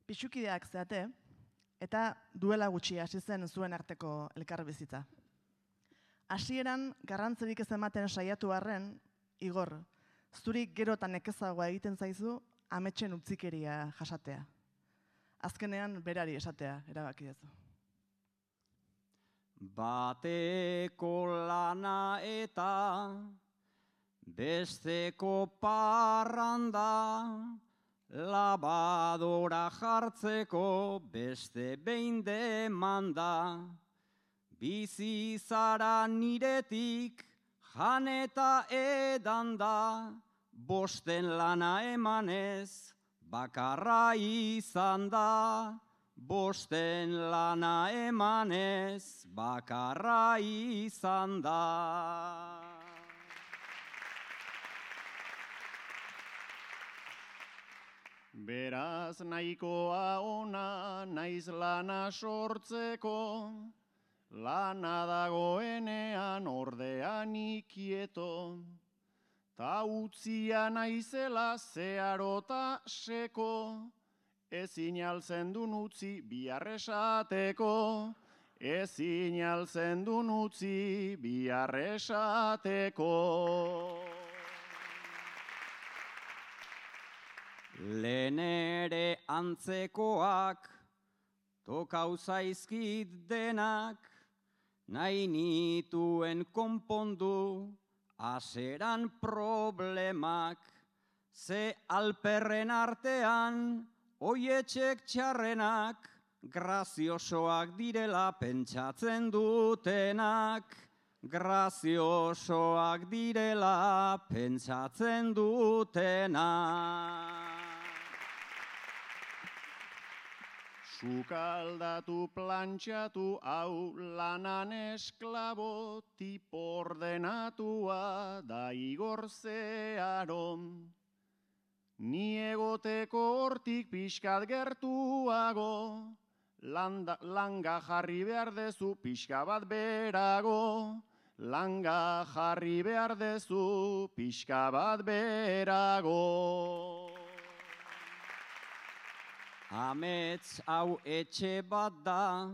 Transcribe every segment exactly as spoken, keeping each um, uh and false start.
Pixukideak zeate, eta duela gutxi hasi zen zuen arteko elkarbizitza. Hasieran garrantzerik ez ematen saiatu arren, Igor, zuri gero eta nekezagoa egiten zaizu ametsen utzikeria jasatea. Azkenean berari esatea erabaki duzu. Bateko lana eta besteko parranda, labadora jartzeko beste behin demanda. Bizi zara niretik jan eta edanda, bosten lana emanez bakarra izan da. Bosten lana emanez bakarra izan da. Beraz nahikoa ona naiz lana sortzeko, lana dagoenean ordean ikieto, ta utzia naizela zeharota seko, ezin altzen dun utzi biharresateko, ezin altzen dun utzi biharresateko. Lehen ere antzekoak, tokau zaizkit denak, nahi nituen konpondu, aseran problemak, ze alperren artean, oietxek txarrenak, graziosoak direla pentsatzen dutenak, graziosoak direla pentsatzen dutenak. Sukaldatu plantxatu hau lanan esklabo, tipo ordenatua da Igor Zeharo. Ni egoteko hortik pixkat gertuago, landa, langa jarri behar dezu pixka bat berago, langa jarri behar dezu pixka bat berago. Amets hau etxe bat da,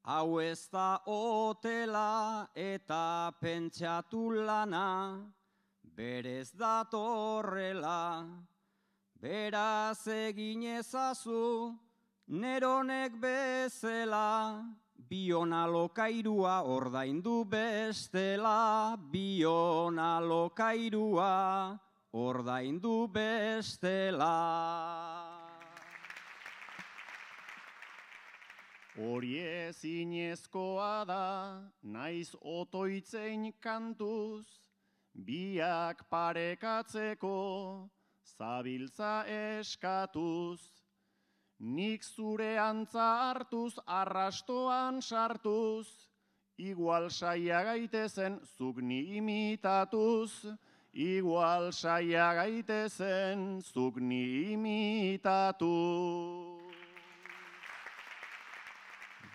hau ez da hotela eta pentsatu lana, berez datorrela, beraz egin ezazu, neronek bezela, bion alokairua ordaindu bestela, bion alokairua ordaindu bestela. Hori ezinezkoa da, naiz otoitzein kantuz, biak parekatzeko, zabiltza eskatuz. Nik zure antza hartuz, arrastoan sartuz, igual saia gaitezen zuk ni imitatuz, igual saia gaitezen zuk ni imitatuz.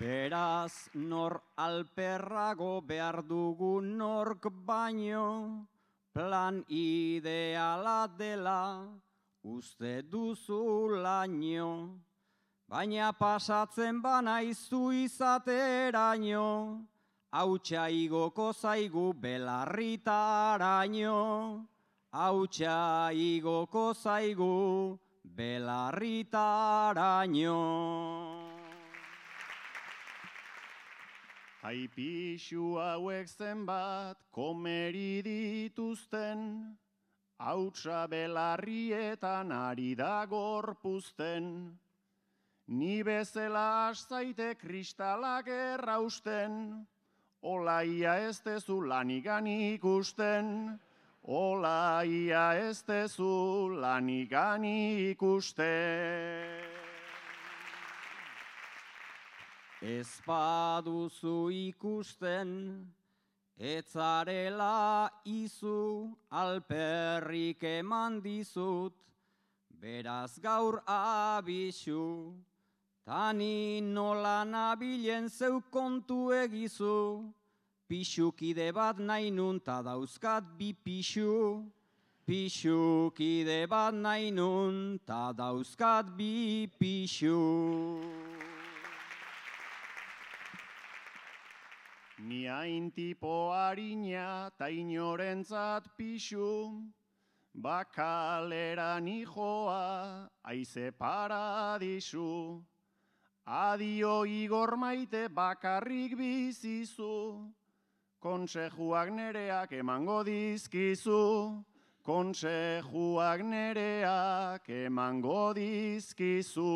Beraz, nor alperrago behar dugu nork baino, plan ideala dela uste duzu laino, baina pasatzen banaizu izateraino, hautsa igoko zaigu belarritaraino, hautsa igoko zaigu belarritaraino. Aipixu hauek zenbat komeri dituzten, hautsa belarrietan ari da gorpuzten. Ni bezala aszaite kristalak errausten, ola ia ez dezu lanigan ikusten, ola ia ez dezu lanigan ikusten. Ez baduzu ikusten, etzarela izu, alperrik eman dizut, beraz gaur abisu, tani nola nabilen zeu kontu egizu, pixukide bat nahi nun ta dauzkat bi pixu, Pixukide bat nahi nun, ta dauzkat bi pixu. Ni hain tipo harina ta inorentzat pixu, bakalera nijoa aize paradisu. Adio Igor maite bakarrik bizizu, konsejuak nereak emango dizkizu, konsejuak nereak emango dizkizu.